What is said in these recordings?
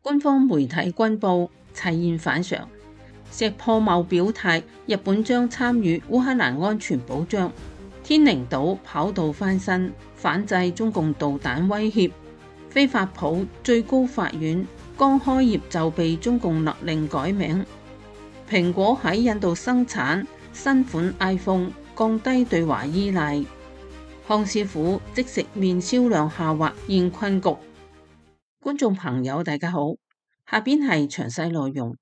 官方媒體軍報齊現反常，石破茂表態日本將參與烏克蘭安全保障。天寧島跑道翻新，反制中共導彈威脅。飛發普最高法院剛開業就被中共勒令改名。蘋果喺印度生產新款 iPhone， 降低對華依賴。康師傅即食麵銷量下滑現困局。觀眾朋友大家好，下邊係詳細內容。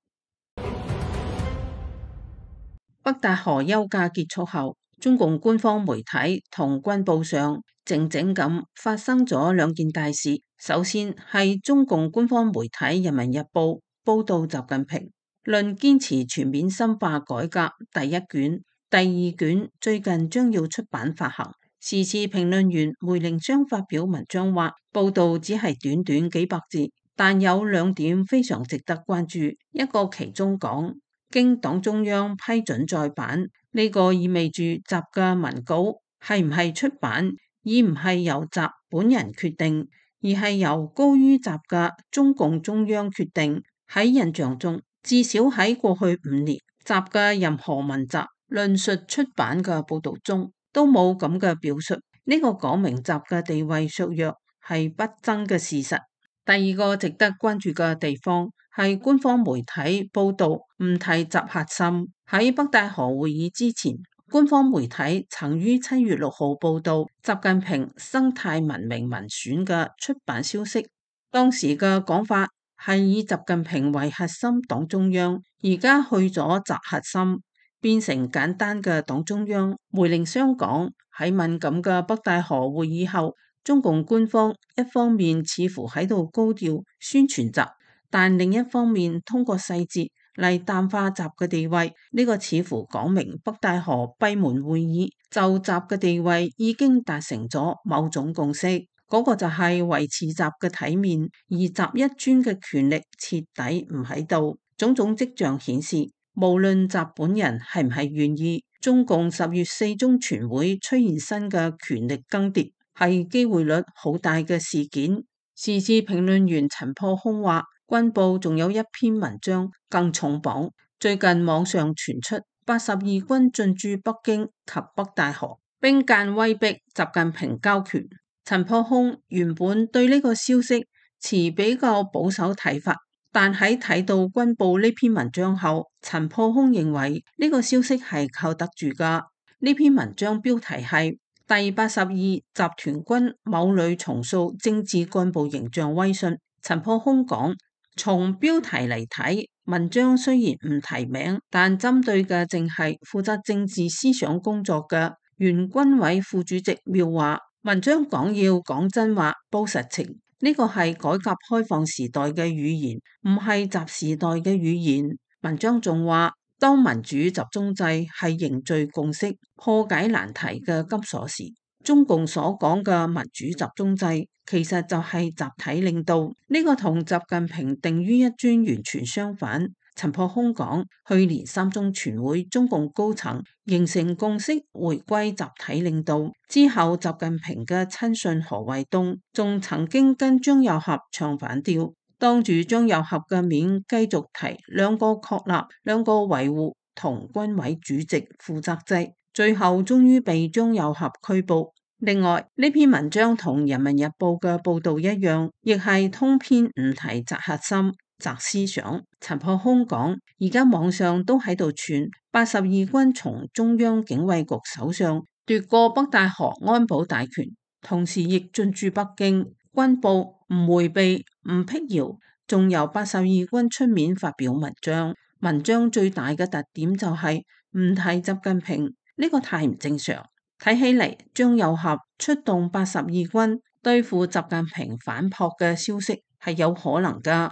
北戴河休假結束後，中共官方媒體同軍報上靜靜咁發生咗兩件大事。首先係中共官方媒體《人民日報》報道習近平論堅持全面深化改革第一卷、第二卷最近將要出版發行。時事評論員梅玲湘發表文章話，報道只係短短幾百字，但有兩點非常值得關注。一個其中講，經黨中央批准再版，呢個意味住習嘅文稿係唔係出版，而唔係由習本人決定，而係由高於習嘅中共中央決定。喺印象中，至少喺過去5年，習嘅任何文集論述出版嘅報道中都冇咁嘅表述。呢個講明習嘅地位削弱係不爭嘅事實。第二個值得關注嘅地方係官方媒體報道唔提習核心。喺北戴河會議之前，官方媒體曾於7月6號報道習近平生態文明文選嘅出版消息。當時嘅講法係以習近平為核心黨中央，而家去咗習核心，變成簡單嘅黨中央。梅玲湘講，喺敏感嘅北戴河會議後，中共官方一方面似乎喺度高調宣傳習，但另一方面通過細節嚟淡化習嘅地位。呢個似乎講明北戴河閉門會議就習嘅地位已經達成咗某種共識，嗰個就係維持習嘅體面，而習一尊嘅權力徹底唔喺度。種種跡象顯示，無論習本人係唔係願意，中共10月4中全會出現新嘅權力更迭，係機會率好大嘅事件。時事評論員陳破空話，軍報仲有一篇文章更重磅，最近網上傳出82軍進駐北京及北戴河，兵諫威逼習近平交權。陳破空原本對呢個消息持比較保守睇法，但喺睇到軍報呢篇文章後，陳破空認為呢個消息係靠得住㗎。呢篇文章標題係第82集團軍某旅重塑政治幹部形象威信。陳破空講，從標題嚟睇，文章雖然唔提名，但針對嘅正係負責政治思想工作嘅原軍委副主席廖華。文章講要講真話、報實情，呢個係改革開放時代嘅語言，唔係習時代嘅語言。文章仲話，當民主集中制係凝聚共識、破解難題嘅金鎖匙，中共所講嘅民主集中制其實就係集體領導，呢個同習近平定於一尊完全相反。陳破空講，去年3中全會中共高層形成共識，回歸集體領導之後，習近平嘅親信何衛東仲曾經跟張又俠唱反調，當住張又俠嘅面繼續提兩個確立、兩個維護同軍委主席負責制，最後終於被張又俠拘捕。另外，呢篇文章同《人民日報》嘅報道一樣，亦係通篇唔提習核心、習思想。陳破空講，而家網上都喺度傳82軍從中央警衛局手上奪過北戴河安保大權，同時亦進駐北京。軍報唔回避、唔闢謠，仲由82軍出面發表文章。文章最大嘅特點就係唔提習近平，呢個太唔正常。睇起嚟，張又俠出動82軍對付習近平反撲嘅消息係有可能噶。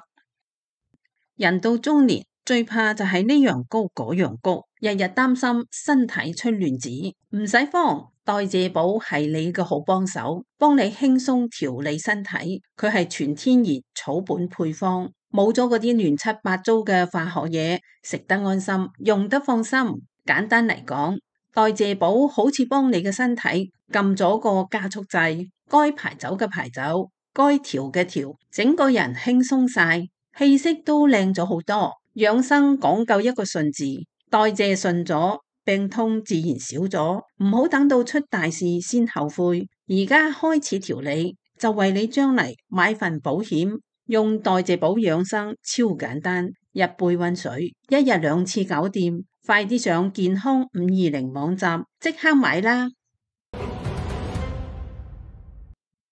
人到中年最怕就係呢樣高嗰樣高，日日擔心身體出亂子。唔使慌，代謝寶係你嘅好幫手，幫你輕鬆調理身體。佢係全天然草本配方，冇咗嗰啲亂七八糟嘅化學嘢，食得安心，用得放心。簡單嚟講，代謝寶好似幫你嘅身體撳咗個加速掣，該排走嘅排走，該調嘅調，整個人輕鬆晒。氣息都靚咗好多。養生講究一個順字，代謝順咗，病痛自然少咗。唔好等到出大事先後悔，而家開始調理，就為你將嚟買份保險。用代謝寶養生超簡單，一杯溫水，一日2次搞掂。快啲上健康520網站即刻買啦！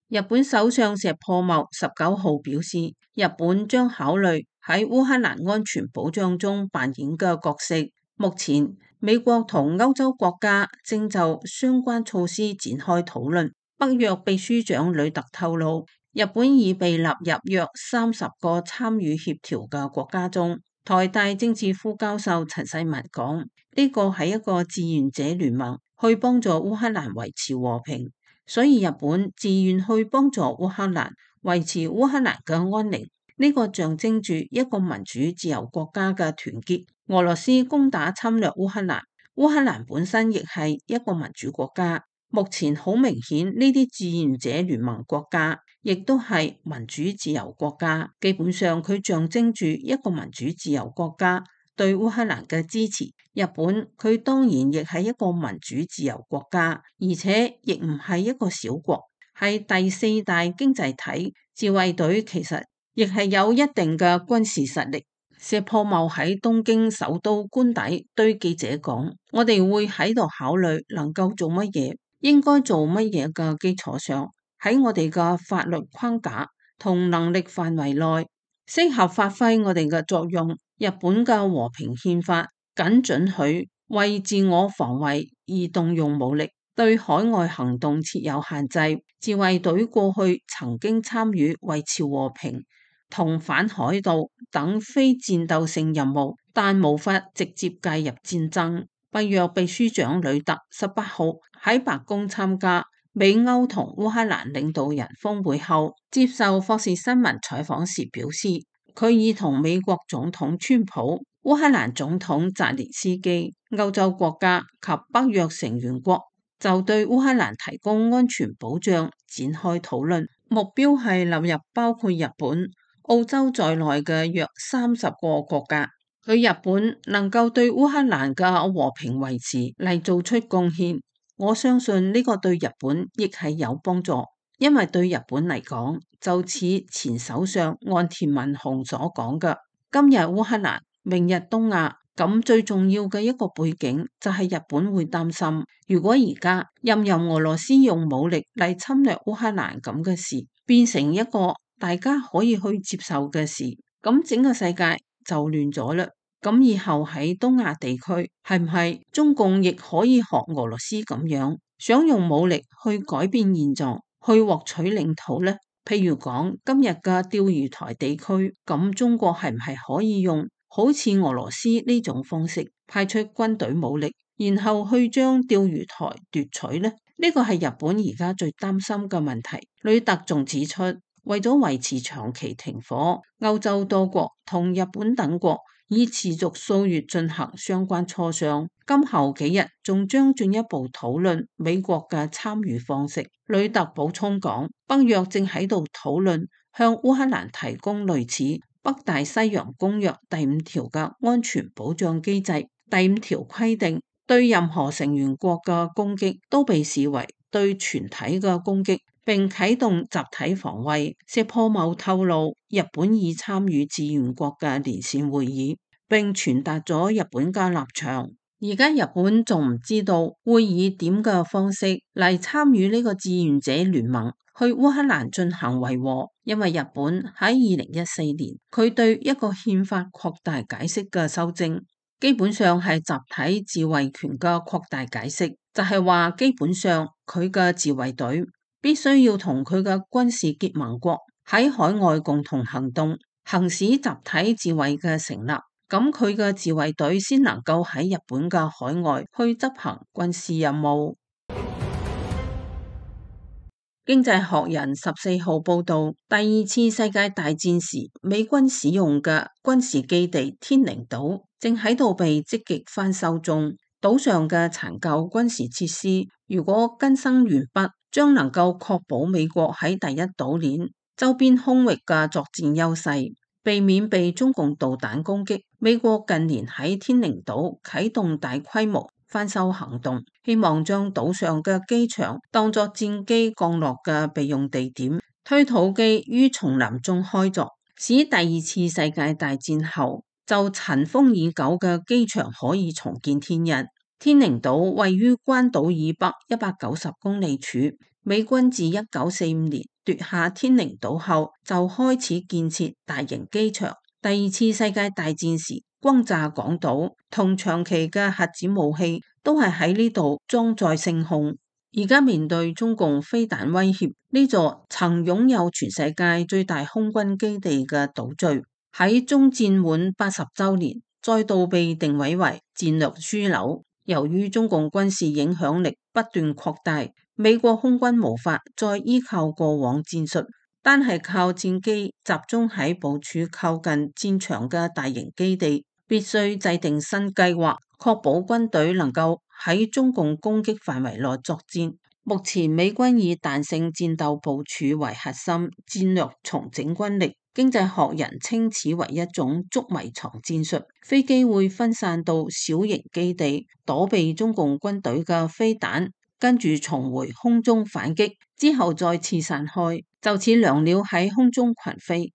日本首相石破茂19號表示，日本將考慮喺烏克蘭安全保障中扮演嘅角色。目前，美國同歐洲國家正就相關措施展開討論。北約秘書長呂特透露，日本已被納入約30個參與協調嘅國家中。台大政治副教授陳世文講，呢個係一個志願者聯盟，去幫助烏克蘭維持和平，所以日本自願去幫助烏克蘭維持烏克蘭嘅安寧。呢個象徵住一個民主自由國家嘅團結。俄羅斯攻打侵略烏克蘭，烏克蘭本身亦係一個民主國家。目前好明顯，呢啲志願者聯盟國家亦都係民主自由國家。基本上，佢象徵住一個民主自由國家對烏克蘭嘅支持。日本佢當然亦係一個民主自由國家，而且亦唔係一個小國，係第4大經濟體。自衛隊其實亦係有一定嘅軍事實力。石破茂喺東京首都官邸對記者講：我哋會喺度考慮能夠做乜嘢，應該做乜嘢嘅基礎上，喺我哋嘅法律框架同能力範圍內，適合發揮我哋嘅作用。日本嘅和平憲法僅准許為自我防衛而動用武力，對海外行動設有限制。自衛隊過去曾經參與維持和平同反海盜等非戰鬥性任務，但無法直接介入戰爭。北約秘書長呂特18號喺白宮參加美歐同烏克蘭領導人峰會後，接受霍士新聞採訪時表示，佢已同美國總統川普、烏克蘭總統澤連斯基、歐洲國家及北約成員國就對烏克蘭提供安全保障展開討論，目標係納入包括日本、澳洲在內嘅約30個國家。佢日本能夠對烏克蘭嘅和平維持嚟做出貢獻，我相信呢個對日本亦係有幫助，因為對日本嚟講，就似前首相岸田文雄所講嘅，今日烏克蘭，明日東亞。咁最重要嘅一個背景就係日本會擔心，如果而家任由俄羅斯用武力嚟侵略烏克蘭咁嘅事，變成一個大家可以去接受嘅事，咁整個世界就亂咗啦。咁以後喺東亞地區，係唔係中共亦可以學俄羅斯咁樣，想用武力去改變現狀，去獲取領土呢？譬如講今日嘅釣魚台地區，咁中國係唔係可以用好似俄羅斯呢種方式派出軍隊武力，然後去將釣魚台奪取呢？呢個係日本而家最擔心嘅問題。呂特仲指出，為咗維持長期停火，歐洲多國同日本等國已持續數月進行相關磋商，今後幾日仲將進一步討論美國嘅參與方式。呂特補充講，北約正喺度討論向烏克蘭提供類似北大西洋公約第5條嘅安全保障機制。第5條規定，對任何成員國嘅攻擊都被視為對全體嘅攻擊，並啟動集體防衛。石破茂透露，日本已參與志願國嘅連線會議，並傳達咗日本嘅立場。而家日本仲唔知道會以點嘅方式嚟參與呢個志願者聯盟去烏克蘭進行維和，因為日本喺2014年佢對一個憲法擴大解釋嘅修正，基本上係集體自衛權嘅擴大解釋，就係話基本上佢嘅自衛隊必須要同佢嘅軍事結盟國喺海外共同行動，行使集體自衛嘅成立，咁佢嘅自衛隊先能夠喺日本嘅海外去執行軍事任務。經濟學人14號報道，第2次世界大戰時美軍使用嘅軍事基地天寧島正喺度被積極翻修中。島上嘅殘舊軍事設施如果更新完畢，將能夠確保美國喺第一島鏈周邊空域嘅作戰優勢，避免被中共導彈攻擊，美國近年喺天寧島啟動大規模翻修行動，希望將島上嘅機場當作戰機降落嘅備用地點，推土機於叢林中開鑿，使第二次世界大戰後就塵封已久嘅機場可以重見天日。天寧島位於關島以北190公里處，美軍自1945年奪下天寧島後就開始建設大型機場。第二次世界大戰時轟炸港島同長期嘅核子武器都係喺呢度裝載升空。而家面對中共飛彈威脅，呢座曾擁有全世界最大空軍基地嘅島嶼，喺終戰滿80週年再度被定位為戰略樞紐。由於中共軍事影響力不斷擴大，美國空軍無法再依靠過往戰術，單係靠戰機集中喺部署靠近戰場嘅大型基地，必須制定新計劃，確保軍隊能夠喺中共攻擊範圍內作戰。目前美軍以彈性戰鬥部署為核心戰略重整軍力。經濟學人稱此為一種捉迷藏戰術，飛機會分散到小型基地，躲避中共軍隊嘅飛彈，跟住重回空中反擊，之後再次散開，就似良鳥喺空中群飛。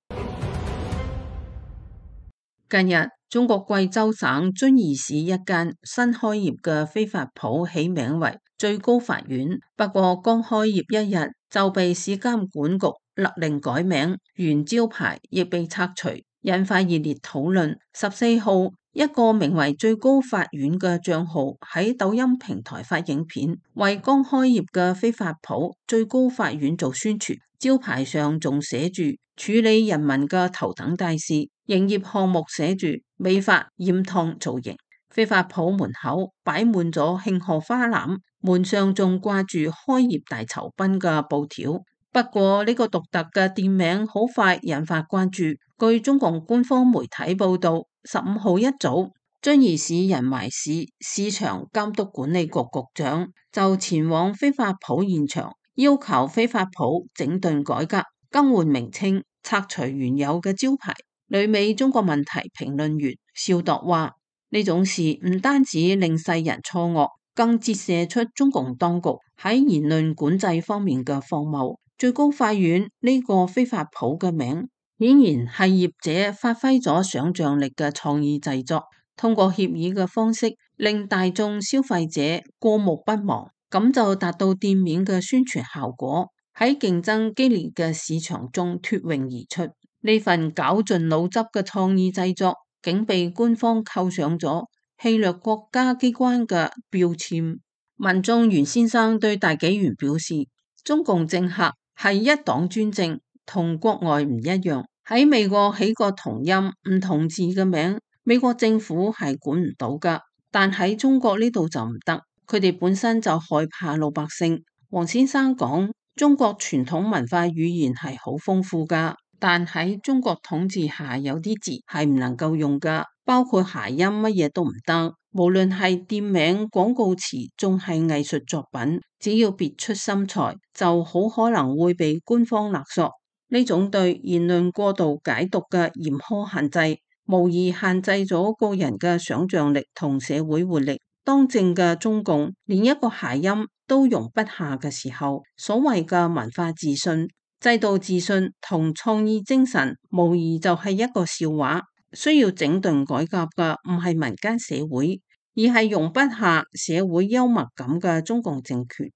近日，中國貴州省遵義市一間新開業嘅飛髮鋪起名為最高法院，不過剛開業一日就被市監管局勒令改名，原招牌亦被拆除，引發熱烈討論。14號，一個名為最高法院嘅賬號喺抖音平台發影片，為剛開業嘅飛髮鋪最高法院做宣傳，招牌上仲寫住處理人民嘅頭等大事，營業項目寫住美髮、染燙、造型。飛髮鋪門口擺滿咗慶賀花籃，門上仲掛住開業大酬賓嘅布條。不過呢個獨特嘅店名好快引發關注。據中共官方媒體報道，15號一早，遵義市人懷市市場監督管理局局長就前往飛髮鋪現場，要求飛髮鋪整頓改革、更換名稱、拆除原有嘅招牌。旅美中國問題評論員邵度話：呢種事唔單止令世人錯愕，更折射出中共當局喺言論管制方面嘅荒謬。最高法院呢個飛髮鋪嘅名，顯然係業者發揮咗想象力嘅創意製作，通過協議嘅方式令大眾消費者過目不忘，咁就達到店面嘅宣傳效果，喺競爭激烈嘅市場中脫穎而出。呢份絞盡腦汁嘅創意製作，竟被官方扣上咗欺掠國家機關嘅標籤。民眾袁先生對大紀元表示，中共政客係一黨專政，同國外唔一樣。喺美國起個同音唔同字嘅名，美國政府係管唔到噶，但喺中國呢度就唔得，佢哋本身就害怕老百姓。黃先生講，中國傳統文化語言係好豐富噶，但喺中國統治下有啲字係唔能夠用噶，包括諧音，乜嘢都唔得。無論係店名、廣告詞，仲係藝術作品，只要別出心裁，就好可能會被官方勒索。呢種對言論過度解讀嘅嚴苛限制，無疑限制咗個人嘅想象力同社會活力。當政嘅中共連一個諧音都容不下嘅時候，所謂嘅文化自信、制度自信同創意精神，無疑就係一個笑話。需要整頓改革嘅唔係民間社會，而係容不下社會幽默感嘅中共政權。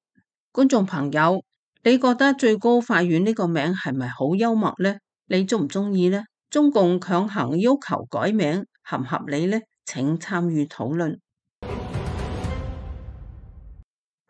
觀眾朋友，你覺得最高法院呢個名係咪好幽默呢？你中唔中意呢？中共強行要求改名合唔合理呢？請參與討論。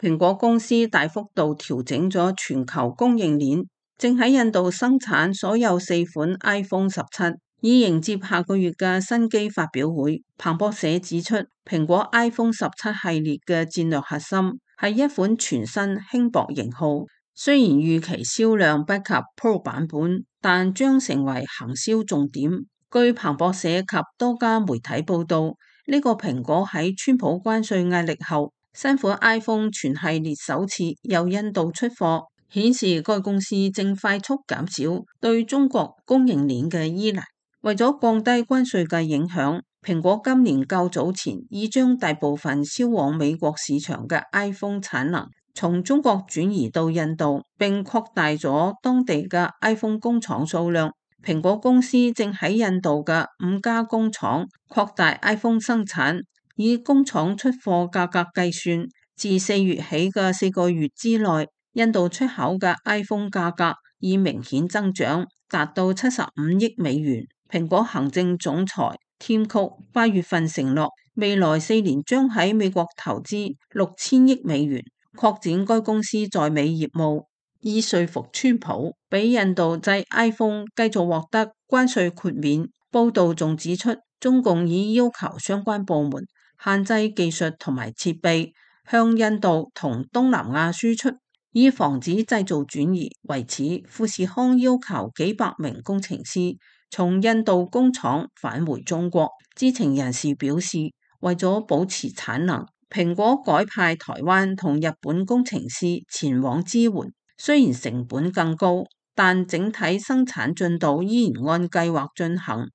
蘋果公司大幅度調整咗全球供應鏈，正喺印度生產所有4款 iPhone 17。以迎接下個月嘅新機發表會。彭博社指出，蘋果 iPhone 17系列嘅戰略核心係一款全新輕薄型號，雖然預期銷量不及 Pro 版本，但將成為行銷重點。據彭博社及多家媒體報道，呢個蘋果喺川普關稅壓力後，新款 iPhone 全系列首次由印度出貨，顯示該公司正快速減少對中國供應鏈嘅依賴。為咗降低關稅嘅影響，蘋果今年較早前已將大部分銷往美國市場嘅 iPhone 產能從中國轉移到印度，並擴大咗當地嘅 iPhone 工廠數量。蘋果公司正喺印度嘅5家工廠擴大 iPhone 生產，以工廠出貨價格計算，自4月起嘅4個月之內，印度出口嘅 iPhone 價格已明顯增長，達到75億美元。蘋果行政總裁Tim Cook 8月份承諾，未來4年將喺美國投資6000億美元，擴展該公司在美業務，以說服川普俾印度製 iPhone 繼續獲得關稅豁免。報道仲指出，中共已要求相關部門限制技術同埋設備向印度同東南亞輸出，以防止製造轉移。為此，富士康要求幾百名工程師從印度工廠返回中國。知情人士表示，為咗保持產能，蘋果改派台灣同日本工程師前往支援。雖然成本更高，但整體生產進度依然按計劃進行。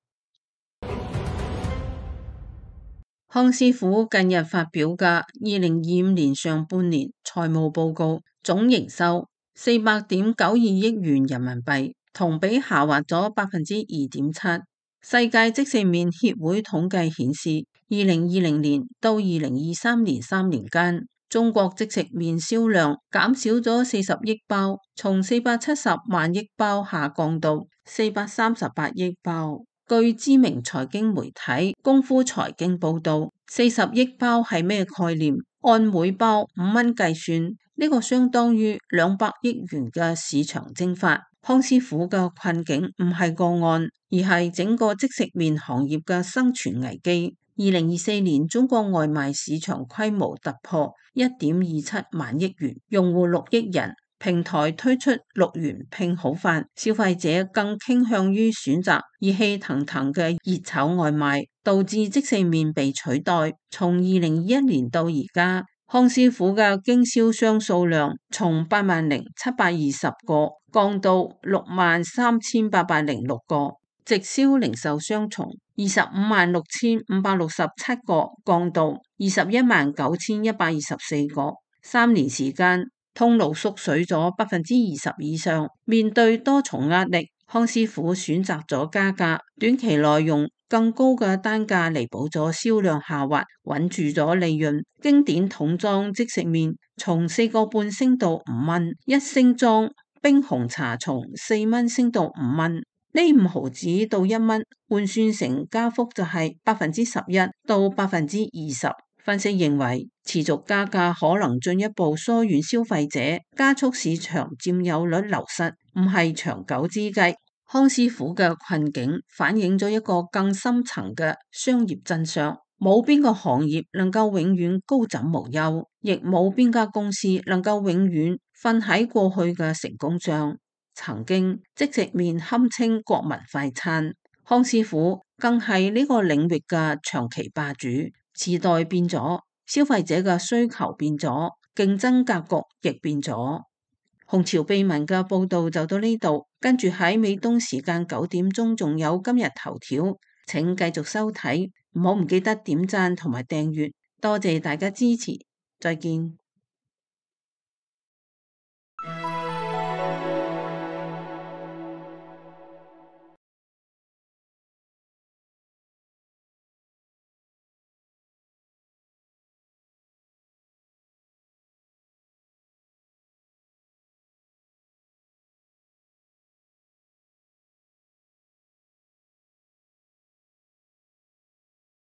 康師傅近日發表嘅2025年上半年財務報告，總營收400.92億元人民幣，同比下滑咗2.7%。世界即食麵協會統計顯示，2020年到2023年3年間，中國即食麵銷量減少咗40億包，從470萬億包下降到438億包。據知名財經媒體功夫財經報道，40億包係咩概念？按每包5蚊計算，呢個相當於200億元嘅市場蒸發。康師傅嘅困境唔係個案，而係整個即食麵行業嘅生存危機。2024年中國外賣市場規模突破1.27萬億元，用戶6億人。平台推出6元拼好飯，消費者更傾向於選擇熱氣騰騰嘅熱炒外賣，導致即食麵被取代。從2021年到而家，康師傅嘅經銷商數量從80720個降到63806個，直銷零售商從256,567個降到219,124個。3年時間，通路縮水咗20%以上。面對多重壓力，康師傅選擇咗加價，短期內用更高嘅單價彌補咗銷量下滑，穩住咗利潤。經典桶裝即食麵從4個半升到5蚊，一升裝冰紅茶從4蚊升到5蚊，呢5毫子到1蚊，換算成加幅就係11%到20%。分析認為，持續加價可能進一步疏遠消費者，加速市場佔有率流失，唔係長久之計。康師傅嘅困境反映咗一個更深層嘅商業真相：冇邊個行業能夠永遠高枕無憂，亦冇邊家公司能夠永遠瞓喺過去嘅成功上。曾經即食麵堪稱國民快餐，康師傅更係呢個領域嘅長期霸主。時代變咗，消費者嘅需求變咗，競爭格局亦變咗。紅潮秘聞嘅報道就到呢度，跟住喺美東時間9點鐘仲有今日頭條，請繼續收睇，唔記得點讚同埋訂閱，多謝大家支持，再見。